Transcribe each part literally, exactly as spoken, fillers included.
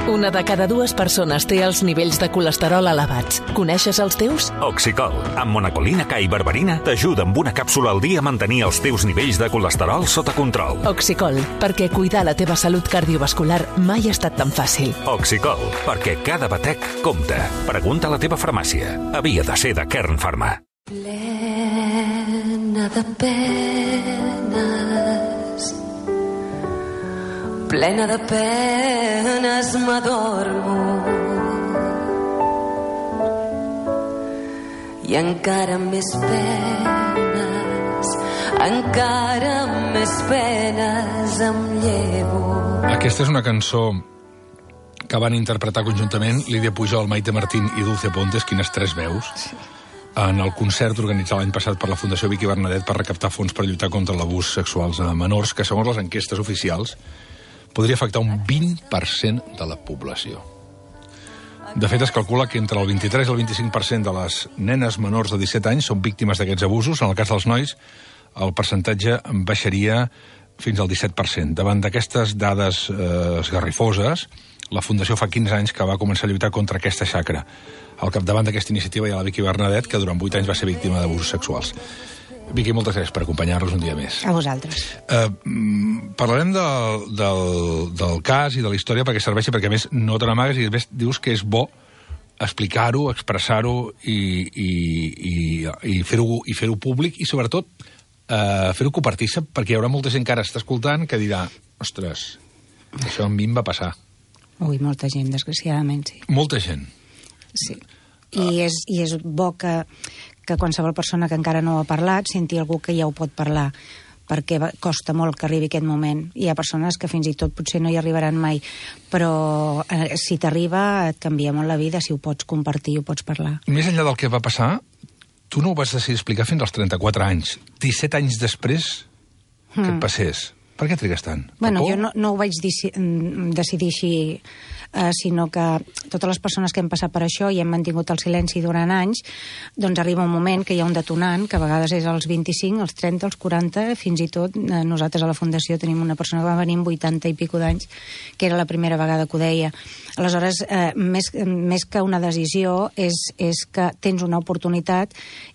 Una de cada dues persones té els nivells de colesterol elevats. Coneixes els teus? Oxicol, amb monacolina K i berberina, t'ajuda amb una càpsula al dia a mantenir els teus nivells de colesterol sota control. Oxicol, perquè cuidar la teva salut cardiovascular mai ha estat tan fàcil. Oxicol, perquè cada batec compta. Pregunta a la teva farmàcia. Havia de ser de Kern Pharma. Plena de penes, plena de penes m'adormo, i encara més penes, encara més penes em llevo. Aquesta és una cançó que van interpretar conjuntament Lídia Pujol, Maite Martín i Dulce Pontes, quines tres veus, en el concert organitzat l'any passat per la Fundació Vicky Bernadet per recaptar fons per lluitar contra l'abús sexuals a menors, que segons les enquestes oficials podria afectar un vint per cent de la població. De fet, es calcula que entre el vint-i-tres i el vint-i-cinc per cent de les nenes menors de disset anys són víctimes d'aquests abusos. En el cas dels nois, el percentatge baixaria fins al disset per cent. Davant d'aquestes dades eh, esgarrifoses, la Fundació fa quinze anys que va començar a lluitar contra aquesta xacra. Al capdavant d'aquesta iniciativa hi ha la Vicky Bernadet, que durant vuit anys va ser víctima d'abusos sexuals. Vicky, moltes gràcies per acompanyar-nos un dia més. A vosaltres. Eh, parlarem del, del, del cas i de la història perquè serveixi, perquè a més no te n'amagues i a més dius que és bo explicar-ho, expressar-ho i, i, i, i fer-ho i fer-ho públic i sobretot eh, fer-ho compartir-se, perquè hi haurà molta gent que ara està escoltant que dirà, ostres, això a mi em va passar. Ui, molta gent, desgraciadament, sí. Molta gent. Sí. I és, i és bo que, que qualsevol persona que encara no ho ha parlat senti algú que ja ho pot parlar, perquè costa molt que arribi aquest moment. Hi ha persones que fins i tot potser no hi arribaran mai, però eh, si t'arriba et canvia molt la vida, si ho pots compartir, ho pots parlar. Més enllà del que va passar, tu no ho vas decidir explicar fins als trenta-quatre anys. disset anys després que mm. et passés. Per què trigues tant? Bueno, jo no, no ho vaig decidir així, eh, sinó que totes les persones que hem passat per això i hem mantingut el silenci durant anys, doncs arriba un moment que hi ha un detonant, que a vegades és als vint-i-cinc, als trenta, als quaranta, fins i tot eh, nosaltres a la Fundació tenim una persona que va venir amb vuitanta i pico d'anys, que era la primera vegada que ho deia. Aleshores, eh, més, més que una decisió, és, és que tens una oportunitat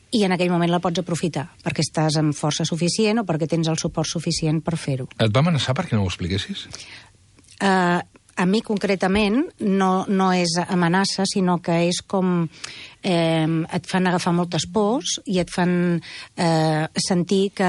i en aquell moment la pots aprofitar, perquè estàs amb força suficient o perquè tens el suport suficient per fer-ho. Et va amenaçar perquè no ho expliquessis? Uh, a mi concretament no, no és amenaça, sinó que és com eh, et fan agafar moltes pors i et fan eh, sentir que,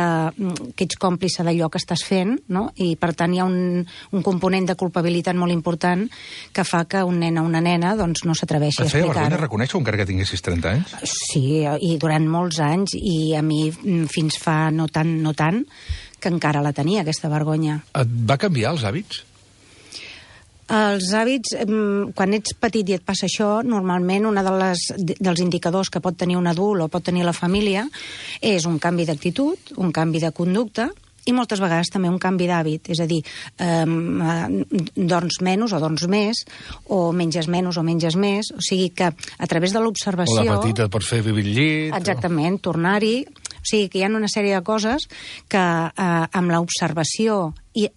que ets còmplice d'allò que estàs fent, no? I per tant hi ha un, un component de culpabilitat molt important que fa que un nen o una nena doncs, no s'atreveixi a explicar-ho. Et feia vergonya reconèixer-ho encara que tinguessis trenta anys? Sí, i durant molts anys, i a mi fins fa no tant, no tant, que encara la tenia, aquesta vergonya. Et va canviar els hàbits? Els hàbits, quan ets petit i et passa això, normalment un de les, dels indicadors que pot tenir un adult o pot tenir la família és un canvi d'actitud, un canvi de conducta i moltes vegades també un canvi d'hàbit. És a dir, eh, dorms menys o dorms més, o menges menys o menges més. O sigui que a través de l'observació... O de petita et pots fer vivir al llit... Exactament, o... tornar-hi... O sigui que hi ha una sèrie de coses que eh, amb l'observació i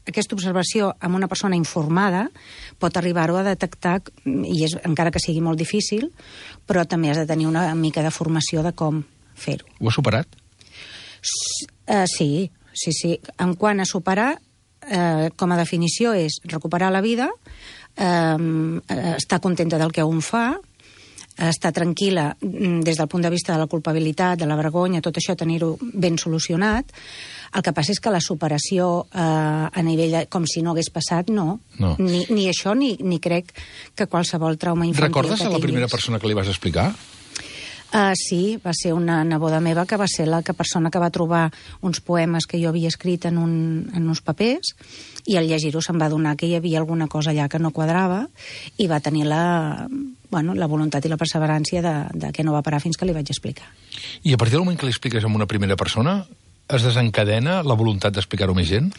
aquesta observació amb una persona informada pot arribar-ho a detectar, i és, encara que sigui molt difícil, però també has de tenir una mica de formació de com fer-ho. Ho has superat? S uh, sí, sí, sí. En quant a superar, uh, com a definició és recuperar la vida, uh, estar contenta del que un fa, estar tranquil·la des del punt de vista de la culpabilitat, de la vergonya, tot això tenir-ho ben solucionat. El que passa és que la superació eh, a nivell de, com si no hagués passat, no. no. Ni, ni això, ni, ni crec que qualsevol trauma infantil Recordes que a la primera persona que li vas explicar? Uh, sí, va ser una neboda meva que va ser la que persona que va trobar uns poemes que jo havia escrit en, un, en uns papers, i al llegir-ho se'n va adonar que hi havia alguna cosa allà que no quadrava i va tenir la, bueno, la voluntat i la perseverància de, de que no va parar fins que li vaig explicar. I a partir del moment que li expliques amb una primera persona, es desencadena la voluntat d'explicar-ho a més gent?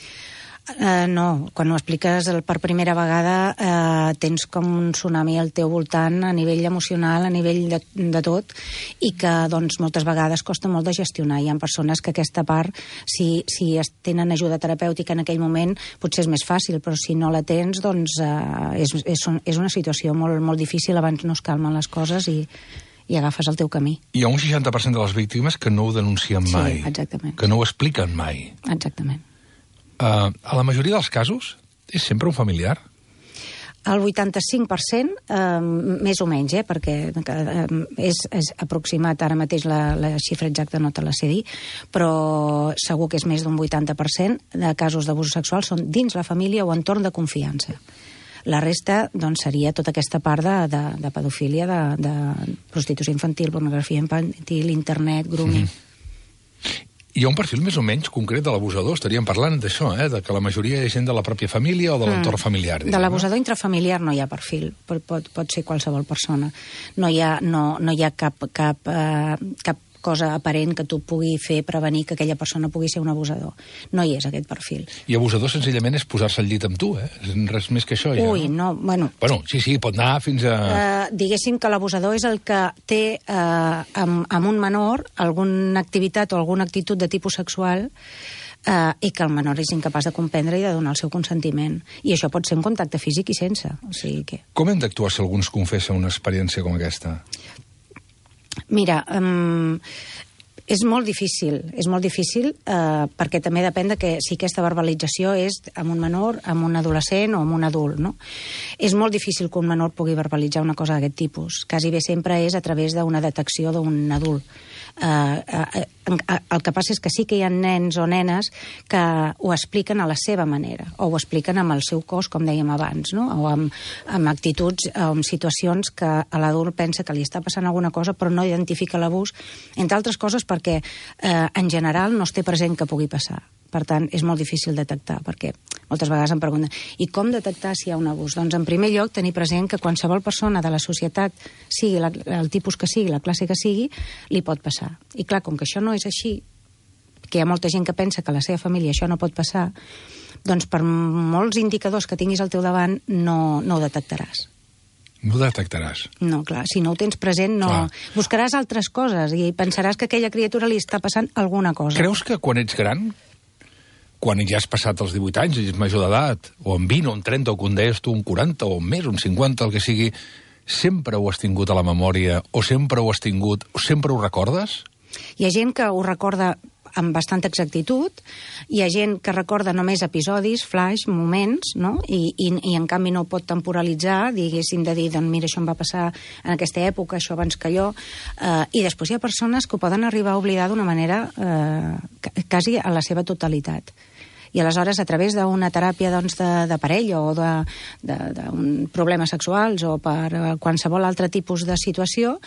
Uh, no, quan ho expliques per primera vegada uh, tens com un tsunami al teu voltant a nivell emocional, a nivell de, de tot, i que doncs, moltes vegades costa molt de gestionar. Hi ha persones que aquesta part, si, si tenen ajuda terapèutica en aquell moment, potser és més fàcil, però si no la tens, doncs uh, és, és, és una situació molt, molt difícil, abans no es calmen les coses i, i agafes el teu camí. Hi ha un seixanta per cent de les víctimes que no ho denuncien mai. Sí, exactament. Que no ho expliquen mai. Exactament. Uh, a la majoria dels casos és sempre un familiar? El vuitanta-cinc per cent, eh, més o menys, eh, perquè eh, és, és aproximat, ara mateix la, la xifra exacta no te la sé dir, però segur que és més d'un vuitanta per cent de casos d'abús sexual són dins la família o entorn de confiança. La resta doncs, seria tota aquesta part de, de, de pedofília, de, de prostitució infantil, pornografia infantil, internet, grooming... Mm-hmm. Hi ha un perfil més o menys concret de l'abusador. Estaríem parlant d'això, eh? De que la majoria és gent de la pròpia família o de l'entorn mm. familiar. Diguem, de l'abusador no? Intrafamiliar no hi ha perfil. Pot, pot, pot ser qualsevol persona. No hi ha, no, no hi ha cap, cap, uh, cap cosa aparent que tu pugui fer prevenir que aquella persona pugui ser un abusador. No hi és aquest perfil. I abusador senzillament és posar-se al llit amb tu, eh? Res més que això, ja. Ui, no, bueno... Bueno, sí, sí, pot anar fins a... Uh, diguéssim que l'abusador és el que té uh, amb, amb un menor alguna activitat o alguna actitud de tipus sexual uh, i que el menor és incapaç de comprendre i de donar el seu consentiment. I això pot ser un contacte físic i sense. O sigui que... Com hem d'actuar si algú ens confessa una experiència com aquesta? Mira, um, és molt difícil, és molt difícil uh, perquè també depèn de que si aquesta verbalització és amb un menor, amb un adolescent o amb un adult, no? És molt difícil que un menor pugui verbalitzar una cosa d'aquest tipus. Quasi bé sempre és a través d'una detecció d'un adult. Uh, uh, uh, el que passa és que sí que hi ha nens o nenes que ho expliquen a la seva manera, o ho expliquen amb el seu cos, com dèiem abans, no? O amb, amb actituds o amb situacions que l'adult pensa que li està passant alguna cosa però no identifica l'abús, entre altres coses perquè eh, en general no es té present que pugui passar. Per tant, és molt difícil detectar, perquè moltes vegades em pregunten i com detectar si hi ha un abús? Doncs en primer lloc tenir present que qualsevol persona de la societat, sigui la, el tipus que sigui, la classe que sigui, li pot passar. I clar, com que això no és així, que hi ha molta gent que pensa que a la seva família això no pot passar, doncs per molts indicadors que tinguis al teu davant no, no ho detectaràs. No ho detectaràs. No, clar, si no ho tens present, no... Clar. Buscaràs altres coses i pensaràs que a aquella criatura li està passant alguna cosa. Creus que quan ets gran, quan ja has passat els divuit anys i ets major d'edat, o en vint, o en trenta, o com deies tu, un quaranta, o més, un cinquanta, el que sigui, sempre ho has tingut a la memòria, o sempre ho has tingut, o sempre ho recordes? Hi ha gent que ho recorda amb bastanta exactitud, hi ha gent que recorda només episodis, flash, moments, no? I, i, i en canvi no pot temporalitzar, diguéssim, de dir, doncs mira, això em va passar en aquesta època, això abans que jo, eh, i després hi ha persones que ho poden arribar a oblidar d'una manera eh, quasi a la seva totalitat. I aleshores, a través d'una teràpia doncs, de, de parella o d'un problemes sexuals o per qualsevol altre tipus de situació,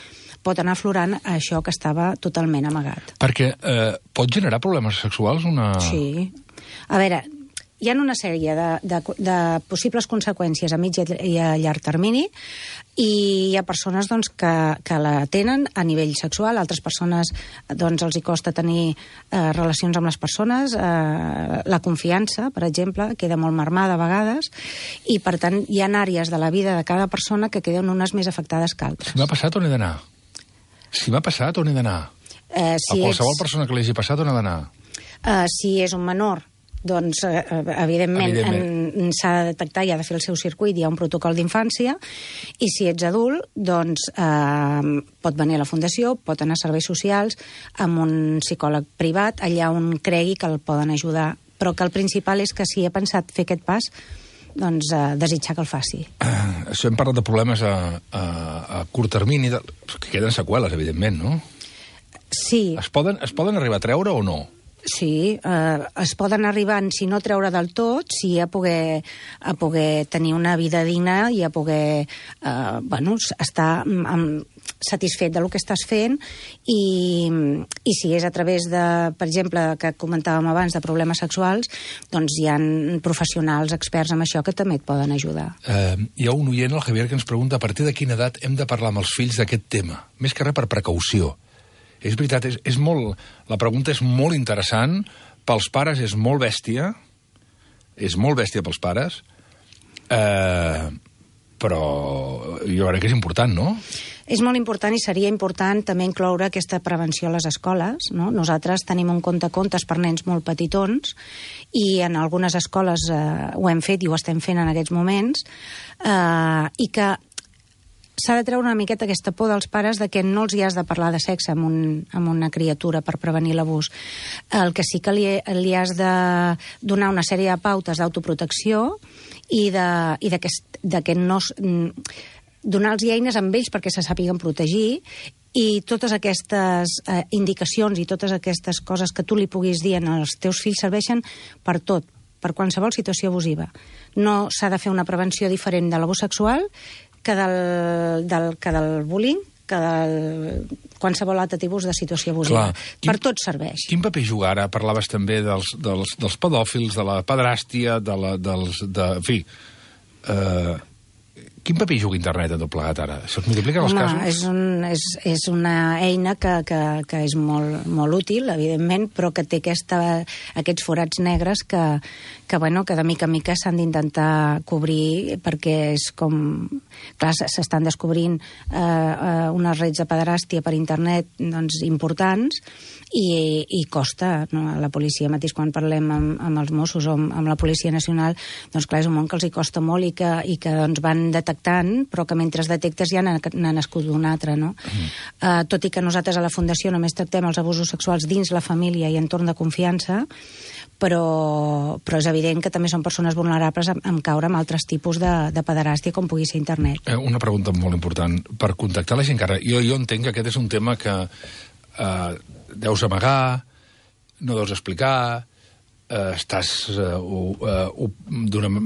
pot anar aflorant això que estava totalment amagat. Perquè eh, pot generar problemes sexuals una... Sí. A veure, hi ha una sèrie de, de, de possibles conseqüències a mig i a llarg termini i hi ha persones doncs, que, que la tenen a nivell sexual, altres persones doncs, els hi costa tenir eh, relacions amb les persones, eh, la confiança, per exemple, queda molt marmada a vegades i, per tant, hi ha àrees de la vida de cada persona que queden unes més afectades que altres. Si m'ha passat, on he d'anar? Si m'ha passat, on he d'anar? Eh, si a qualsevol ets... persona que l'hagi passat, on ha d'anar? Eh, si és un menor, doncs, eh, evidentment, evidentment. s'ha de detectar i ha de fer el seu circuit, hi ha un protocol d'infància, i si ets adult, doncs eh, pot venir a la fundació, pot anar a serveis socials, amb un psicòleg privat, allà on cregui que el poden ajudar. Però que el principal és que si ha pensat fer aquest pas, doncs eh, desitjar que el faci. Uh, això hem parlat de problemes a, a, a curt termini, de... que queden seqüeles, evidentment, no? Sí. Es poden, es poden arribar a treure o no? Sí, eh, es poden arribar, si no treure del tot, sí a poder, a poder tenir una vida digna i a poder eh, bueno, estar amb, satisfet del que estàs fent i, i si és a través de, per exemple, que comentàvem abans, de problemes sexuals, doncs hi ha professionals experts en això que també et poden ajudar. Eh, hi ha un oient, el Javier, que ens pregunta a partir de quina edat hem de parlar amb els fills d'aquest tema, més que res per precaució. És veritat, és, és molt... La pregunta és molt interessant, pels pares és molt bèstia, és molt bèstia pels pares, eh, però jo crec que és important, no? És molt important i seria important també incloure aquesta prevenció a les escoles, no? Nosaltres tenim un contacontes per nens molt petitons i en algunes escoles eh, ho hem fet i ho estem fent en aquests moments, eh, i que s'ha de treure una miqueta aquesta por dels pares de que no els hi has de parlar de sexe amb, un, amb una criatura per prevenir l'abús. El que sí que li, li has de donar una sèrie de pautes d'autoprotecció i de, i de que, de que no... donar-los eines amb ells perquè se sàpiguen protegir i totes aquestes eh, indicacions i totes aquestes coses que tu li puguis dir als teus fills serveixen per tot, per qualsevol situació abusiva. No s'ha de fer una prevenció diferent de l'abús sexual que del, del, que del bullying, que del qualsevol altre tipus de situació abusiva. Clar. Per quin, tot serveix. Quin paper juga ara? Parlaves també dels, dels, dels pedòfils, de la pedràstia, de la, dels... De, en fi... Eh, quin paper juga internet a tot plegat ara? Això es multiplica els Home, casos? És, un, és, és una eina que, que, que és molt, molt útil, evidentment, però que té aquesta, aquests forats negres que, que, bueno, que de mica en mica s'han d'intentar cobrir perquè és com... Clar, s'estan descobrint eh, eh, unes redes de pederàstia per internet doncs, importants i, i costa, no? La policia mateix, quan parlem amb, amb els Mossos o amb, amb la Policia Nacional, doncs clar, és un món que els hi costa molt i que, i que doncs, van detectant, però que mentre es detectes ja n'ha nascut un altre, no? Mm. Uh, tot i que nosaltres a la Fundació només tractem els abusos sexuals dins la família i entorn de confiança, però, però és evident que també són persones vulnerables a, a caure en altres tipus de, de pederàstia, com pugui ser internet. Eh, una pregunta molt important. Per contactar la gent que ara... Jo, jo entenc que aquest és un tema que eh, deus amagar, no deus explicar, eh, estàs, eh, uh, uh,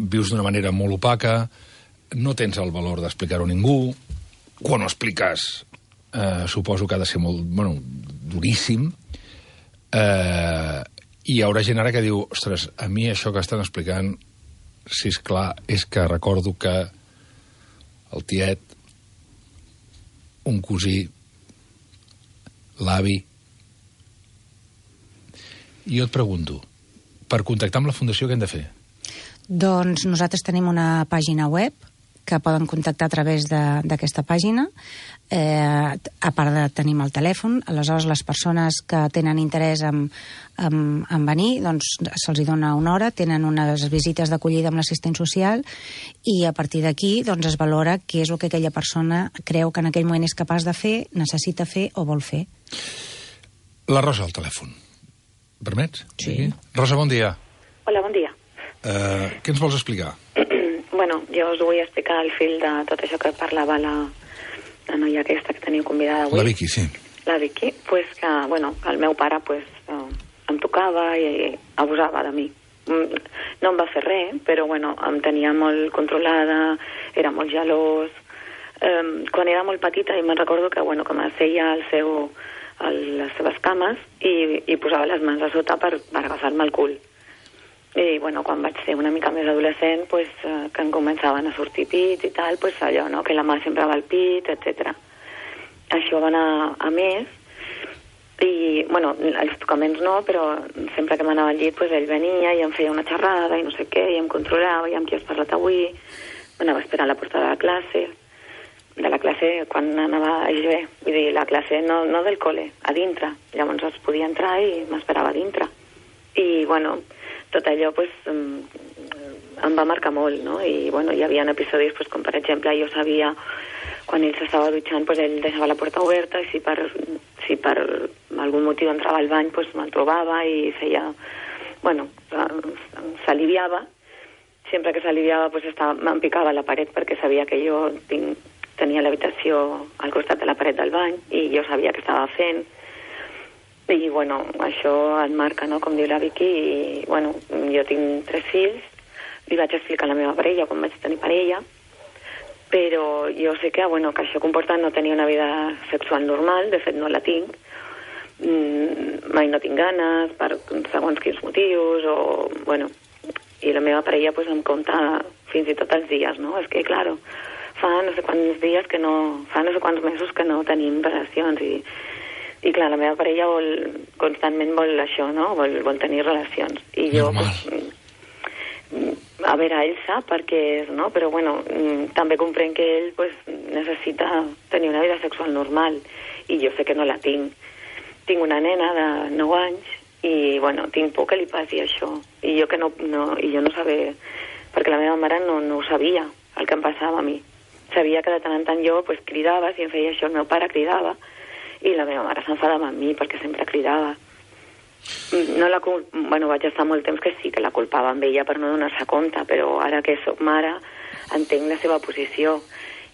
vius d'una manera molt opaca, no tens el valor d'explicar-ho a ningú, quan ho expliques eh, suposo que ha de ser molt, bueno, duríssim, eh, i hi haurà gent ara que diu, ostres, a mi això que estan explicant, si és clar, és que recordo que el tiet, un cosí, l'avi... I jo et pregunto, per contactar amb la Fundació què hem de fer? Doncs nosaltres tenim una pàgina web que poden contactar a través d'aquesta pàgina. Eh, a part de tenim el telèfon, aleshores les persones que tenen interès en, en, en venir, doncs se'ls dona una hora, tenen unes visites d'acollida amb l'assistent social i a partir d'aquí doncs, es valora què és el que aquella persona creu que en aquell moment és capaç de fer, necessita fer o vol fer. La Rosa al telèfon. Permets? Sí. Rosa, bon dia. Hola, bon dia. Uh, què ens vols explicar? Bueno, jo us vull explicar el fil de tot això que parlava la, la noia aquesta que teniu convidada avui. La Vicky, sí. La Vicky, pues que, bueno, el meu pare pues, uh, em tocava i, i abusava de mi. No em va fer res, però bueno, em tenia molt controlada, era molt gelós. Um, quan era molt petita i me'n recordo que, bueno, que m'asseia al seu... a les seves cames i, i posava les mans a sota per, per agafar-me el cul. I, bueno, quan vaig ser una mica més adolescent, pues, eh, que em començaven a sortir pits i tal, pues, allò, no?, que la mà sempre va al pit, etcètera. Això va anar a més i, bueno, els tocaments no, però sempre que m'anava al llit, pues, ell venia i em feia una xerrada i no sé què, i em controlava, i amb qui has parlat avui, m'anava a esperar a la porta de la classe, de la classe quan anava a I G B, vull dir, la classe no, no del col·le, a dintre. Llavors es podia entrar i m'esperava a dintre. I, bueno, tot allò, pues, em, em va marcar molt, no? I, bueno, hi havia episodis, pues, com per exemple, jo sabia, quan ell s'estava dutxant, pues, ell deixava la porta oberta i si per, si per algun motiu entrava al bany, pues, me'l trobava i feia, bueno, s'aliviava. Sempre que s'aliviava, pues, estava, me'n picava a la paret perquè sabia que jo tinc tenia l'habitació al costat de la paret del bany i jo sabia què estava fent i, bueno, això et marca, no?, com diu la Vicky, i, bueno, jo tinc tres fills, li vaig explicar a la meva parella quan vaig tenir parella, però jo sé que, bueno, que això comporta no tenir una vida sexual normal, de fet no la tinc, mm, mai no tinc ganes per segons quins motius, o, bueno, i la meva parella, pues, em compta fins i tot els dies, no?, és que, claro, fa no sé quants dies que no... fa no sé quants mesos que no tenim relacions i, i clar, la meva parella vol, constantment vol això, no? Vol, vol tenir relacions. I jo, pues, a veure, ell sap per què és, no? Però, bueno, també comprenc que ell pues, necessita tenir una vida sexual normal i jo sé que no la tinc. Tinc una nena de nou anys i, bueno, tinc por que li passi això. I jo que no, no, i jo no sabia, perquè la meva mare no, no ho sabia, el que em passava a mi. Sabia que de tant en tant jo pues, cridava, si em feia això el meu pare cridava, i la meva mare s'enfadava amb mi perquè sempre cridava. No la cul... bueno, vaig estar molt temps que sí, que la culpava amb ella per no donar-se compte, però ara que soc mare entenc la seva posició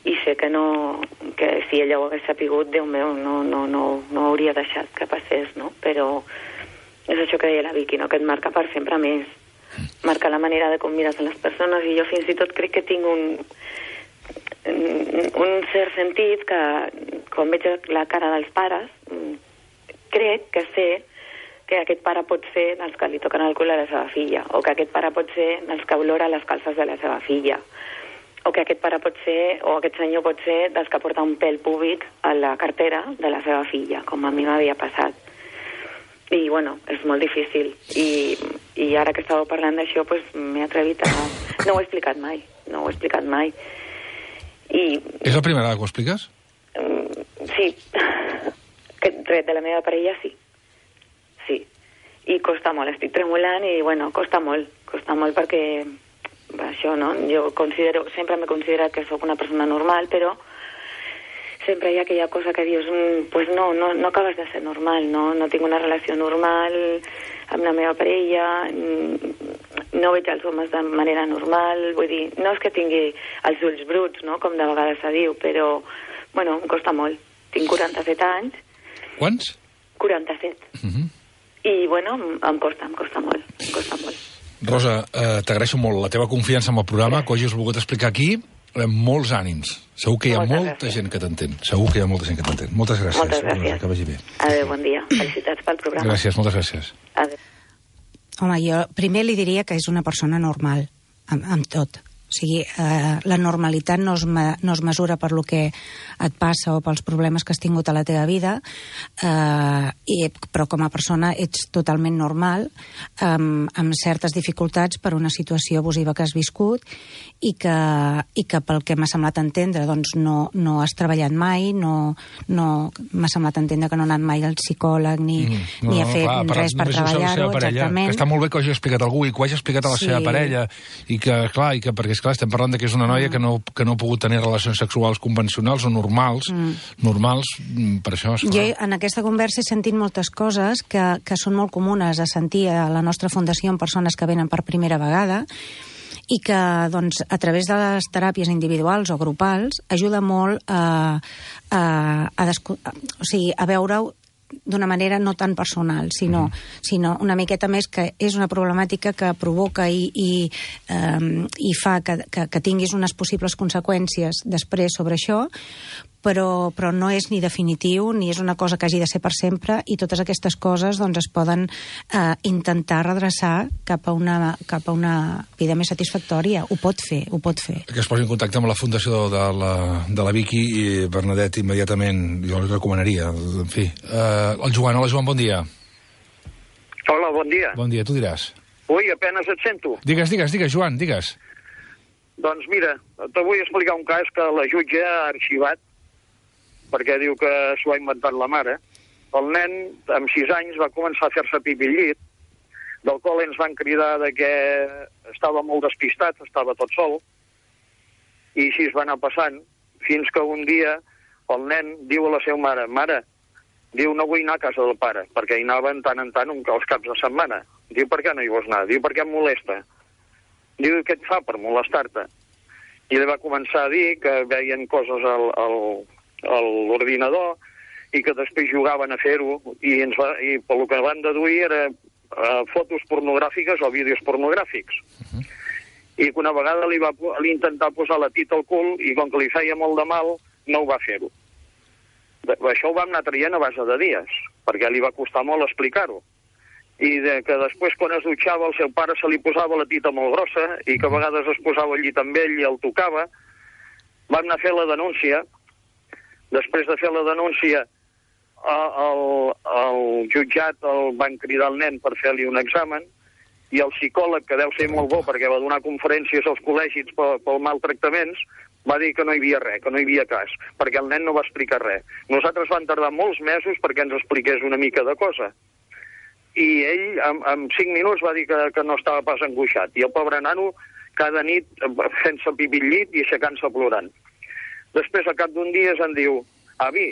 i sé que no, que si ella ho hagués sapigut, Déu meu, no, no, no, no hauria deixat que passés, no? Però és això que deia la Vicky, no? Que et marca per sempre més. Marca la manera de com mires a les persones i jo fins i tot crec que tinc un un cert sentit que quan veig la cara dels pares crec que sé que aquest pare pot ser dels que li toquen el cul a la seva filla, o que aquest pare pot ser dels que olora les calces de la seva filla, o que aquest pare pot ser, o aquest senyor pot ser dels que porta un pèl púbic a la cartera de la seva filla, com a mi m'havia passat. I, bueno, és molt difícil. I, i ara que estàveu parlant d'això, pues, m'he atrevit a... No ho he explicat mai, no ho he explicat mai. I... És la primera vegada que ho expliques? Sí. Que res de la meva parella, sí. Sí, i costa molt, estic tremolant i, bueno, costa molt, costa molt perquè, això, no? Jo considero, sempre m'he considerat que sóc una persona normal, però sempre hi ha aquella cosa que dius, pues no, no, no acabes de ser normal, no? No tinc una relació normal amb la meva parella, no veig els homes de manera normal, vull dir, no és que tingui els ulls bruts, no?, com de vegades se diu, però, bueno, em costa molt. Tinc quaranta-set anys. Quants? quaranta-set. Mhm. I, bueno, em costa, em costa molt, em costa molt. Rosa, eh, t'agraeixo molt la teva confiança en el programa, que ho hagis volgut explicar aquí, amb molts ànims. Segur que hi ha Moltes molta gràcies. gent que t'entén. Segur que hi ha molta gent que t'entén. Moltes gràcies. Moltes gràcies. Rosa, que vagi bé. Adéu, bon dia. Felicitats pel programa. Gràcies, moltes gràcies. Adéu. Home, jo primer li diria que és una persona normal, amb, amb tot. O sigui, eh, la normalitat no es, me, no es mesura per lo que et passa o pels problemes que has tingut a la teva vida, eh, i, però com a persona ets totalment normal, eh, amb certes dificultats per una situació abusiva que has viscut i que, i que pel que m'ha semblat entendre doncs no, no has treballat mai, no, no m'ha semblat entendre que no ha anat mai al psicòleg ni, mm, no, ni ha fet clar, res per treballar-ho, exactament. Que està molt bé que ho hagi explicat algú i que ho hagi explicat a la sí. seva parella i que, clar, i que perquè esclar, estem parlant de que és una noia mm. que, no, que no ha pogut tenir relacions sexuals convencionals o normals, mm. normals, per això... Esclar. Jo en aquesta conversa he sentit moltes coses que, que són molt comunes a sentir a la nostra fundació en persones que venen per primera vegada i que doncs, a través de les teràpies individuals o grupals ajuda molt a, a, a, desco- a, o sigui, a veure-ho d'una manera no tan personal, sinó, mm. sinó una miqueta més que és una problemàtica que provoca i, i, um, i fa que, que, que tinguis unes possibles conseqüències després sobre això, però, però no és ni definitiu ni és una cosa que hagi de ser per sempre i totes aquestes coses doncs, es poden eh, intentar redreçar cap a, una, cap a una vida més satisfactòria. Ho pot fer, ho pot fer. Que es posi en contacte amb la fundació de la, de la Vicky i Bernadette immediatament, jo li recomanaria. En fi, eh, el Joan, hola Joan, bon dia. Hola, bon dia. Bon dia, tu diràs. Ui, apenas et sento. Digues, digues, digues, Joan, digues. Doncs mira, te vull explicar un cas que la jutge ha arxivat perquè diu que s'ho ha inventat la mare. El nen, amb sis anys, va començar a fer-se pipi al llit, del qual ens van cridar de que estava molt despistat, estava tot sol, i així es va anar passant, fins que un dia el nen diu a la seva mare, mare, diu, no vull anar a casa del pare, perquè hi anaven tant en tant els caps de setmana. Diu, per què no hi vols anar? Diu, perquè em molesta. Diu, què et fa per molestar-te? I li va començar a dir que veien coses al... al a l'ordinador i que després jugaven a fer-ho i, ens va, i pel que van deduir era uh, fotos pornogràfiques o vídeos pornogràfics. Uh-huh. I que una vegada li va li intentar posar la tita al cul i com que li feia molt de mal no ho va fer-ho. Això ho vam anar traient a base de dies perquè li va costar molt explicar-ho. I de que després quan es dutxava el seu pare se li posava la tita molt grossa i que a vegades es posava al llit amb ell i el tocava. Vam anar a fer la denúncia. Després de fer la denúncia, el, el jutjat el van cridar el nen per fer-li un examen i el psicòleg, que deu ser molt bo perquè va donar conferències als col·legis pel, pel maltractaments, va dir que no hi havia res, que no hi havia cas, perquè el nen no va explicar res. Nosaltres van tardar molts mesos perquè ens expliqués una mica de cosa. I ell, en, en cinc minuts, va dir que, que no estava pas angoixat. I el pobre nano, cada nit, fent-se pipí al llit i aixecant-se plorant. Després, al cap d'un dia, em diu, avi,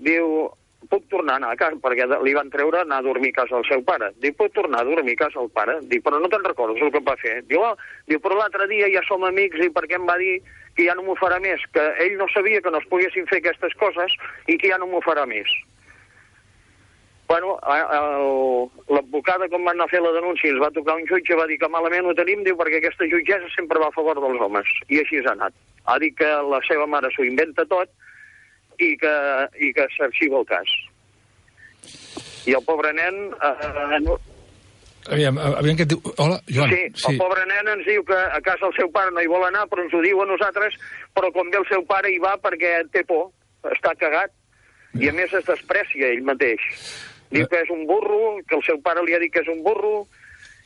diu, puc tornar a anar a casa, perquè li van treure anar a dormir a casa del seu pare. Diu, puc tornar a dormir a casa del pare? Diu, però no te'n recordes el que em va fer? Diu, oh, diu, però l'altre dia ja som amics i perquè em va dir que ja no m'ho farà més, que ell no sabia que no es poguessin fer aquestes coses i que ja no m'ho farà més. Bueno, l'advocada, quan van anar a fer la denúncia, ens va tocar un jutge, va dir que malament ho tenim, diu, perquè aquesta jutgessa sempre va a favor dels homes. I així ha anat. Ha dit que la seva mare s'ho inventa tot i que, i que s'arxiva el cas. I el pobre nen... Eh, no... Aviam, aviam que et diu... Hola, Joan. Sí, sí, el pobre nen ens diu que a casa el seu pare no hi vol anar, però ens ho diu a nosaltres, però quan ve el seu pare hi va perquè té por, està cagat, i a més es desprecia ell mateix. Diu que és un burro, que el seu pare li ha dit que és un burro,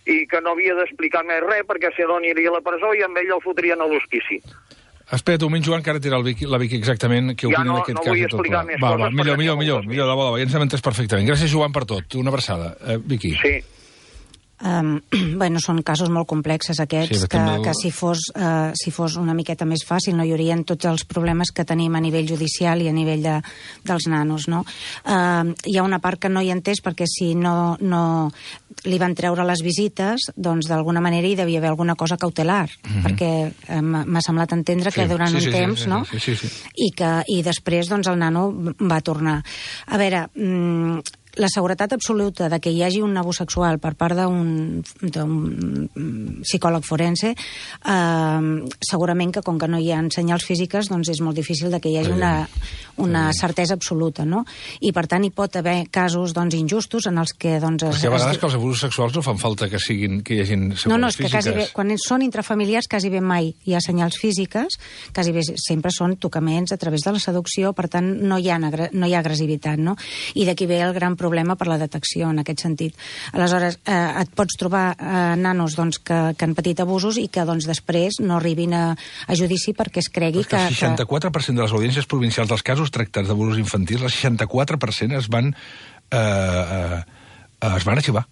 i que no havia d'explicar més res, perquè si no aniria a la presó i amb ell el fotrien a l'hospici. Espera't un moment, Joan, que ara dirà el Vicky, la Vicky exactament què opina ja no, d'aquest no cas. Ja no vull explicar més va, coses. Va, millor, millor, millor, millor, de bo, de bo, ja ens hem entès perfectament. Gràcies, Joan, per tot. Una abraçada. Uh, Vicky. Sí. Um, bueno, són casos molt complexes aquests, sí, que, del... que si fos, uh, si fos una miqueta més fàcil no hi haurien tots els problemes que tenim a nivell judicial i a nivell de, dels nanos, no? Uh, hi ha una part que no hi he entès, perquè si no, no li van treure les visites, doncs d'alguna manera hi devia haver alguna cosa cautelar, mm-hmm. perquè uh, m'ha semblat entendre que sí, durant sí, un sí, temps, sí, no? Sí, sí, sí. I, que, i després doncs el nano va tornar. A veure... Mm, la seguretat absoluta de que hi hagi un abús sexual per part d'un psicòleg forense, eh, segurament que com que no hi ha senyals físiques, doncs és molt difícil de que hi hagi una, una certesa absoluta, no? I per tant hi pot haver casos doncs, injustos en els que... Doncs, Perquè a vegades es... que els abusos sexuals no fan falta que, siguin, que hi hagin seqüeles no, no, és que físiques. Quasi bé, quan són intrafamiliars quasi bé mai hi ha senyals físiques, quasi bé sempre són tocaments a través de la seducció, per tant no hi ha, no hi ha agressivitat, no? I d'aquí ve el gran problema per la detecció en aquest sentit. Aleshores, eh, et pots trobar eh, nanos doncs, que, que han patit abusos i que doncs, després no arribin a, a judici perquè es cregui que... El seixanta-quatre per cent de les audiències provincials dels casos tractats d'abusos infantils, el seixanta-quatre per cent es van, eh, eh, es van arxivar.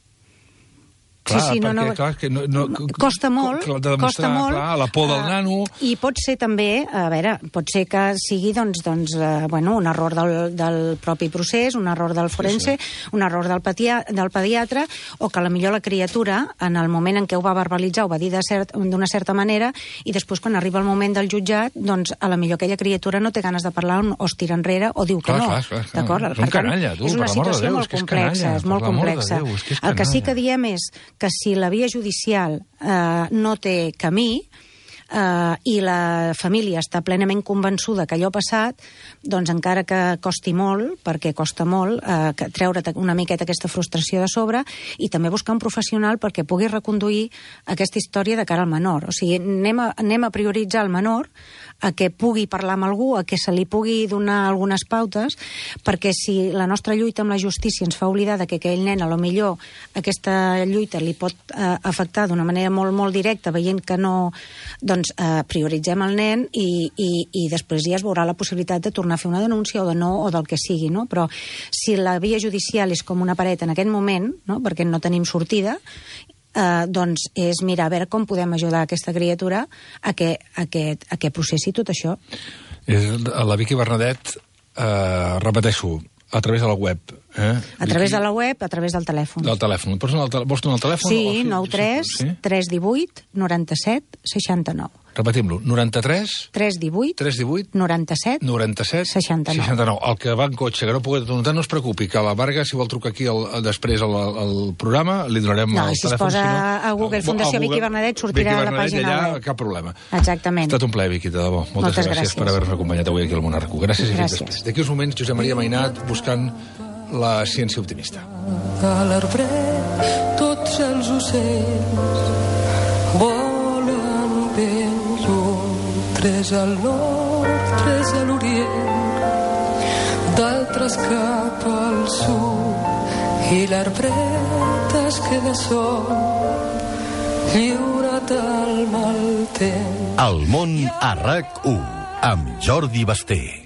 Clar, sí, sí, no, perquè, no, clar, que no, no, costa molt, de demostrar, costa molt, clar, la por del nano... I pot ser també, a veure, pot ser que sigui doncs, doncs, uh, bueno, un error del, del propi procés, un error del forense, sí, sí. un error del, patia, del pediatre, o que a la millor la criatura, en el moment en què ho va verbalitzar, ho va dir d'una cert, certa manera, i després quan arriba el moment del jutjat, doncs a la millor aquella criatura no té ganes de parlar o es tira enrere o diu que clar, no. Clar, clar, clar. D'acord? És un canalla, tu, és una situació Déu, molt és complexa, és, canalla, és molt complexa. De Déu, és que és el que sí que diem és que si la via judicial eh, no té camí eh, i la família està plenament convençuda que allò ha passat, doncs encara que costi molt, perquè costa molt, eh, que treure una miqueta aquesta frustració de sobre i també buscar un professional perquè pugui reconduir aquesta història de cara al menor. O sigui, anem a, anem a prioritzar el menor a que pugui parlar amb algú, a que se li pugui donar algunes pautes, perquè si la nostra lluita amb la justícia ens fa oblidar que aquell nen, a lo millor, aquesta lluita li pot eh, afectar d'una manera molt, molt directa, veient que no, doncs eh, prioritzem el nen i, i, i després ja es veurà la possibilitat de tornar a fer una denúncia o de no, o del que sigui, no? Però si la via judicial és com una paret en aquest moment, no? Perquè no tenim sortida, Uh, doncs és mirar a veure com podem ajudar aquesta criatura a que, a que, a que processi tot això. La Vicky Bernadet, uh, repeteixo, a través de la web. Eh? A través de la web, a través del telèfon. Del telèfon. Vols donar el telèfon? Sí, nou tres tres uno vuit noranta-set seixanta-nou. Repetim-lo, noranta-tres tres divuit tres divuit noranta-set noranta-set seixanta-nou. seixanta-nou. El que va en cotxe, que no pugui notar, no es preocupi, que la Varga, si vol trucar aquí el, després al, al programa, li donarem no, el si telèfon. No, si es posa si no, a Google Fundació Google, Vicky Bernadet, sortirà Vicky a la pàgina allà, web. Cap problema. Exactament. Ha estat un plaer, Vicky, de debò. Moltes, Moltes gràcies, gràcies per haver-nos acompanyat avui aquí al Monarco. Gràcies, gràcies. I després. D'aquí uns moments, Josep Maria Mainat buscant la ciència optimista. A l'arbret tots els ocells volen ben lluny, tres al nord, tres a l'orient, d'altres cap al sud, i l'arbret es queda sol lliure't al mal temps. El món a RAC u, amb Jordi Basté.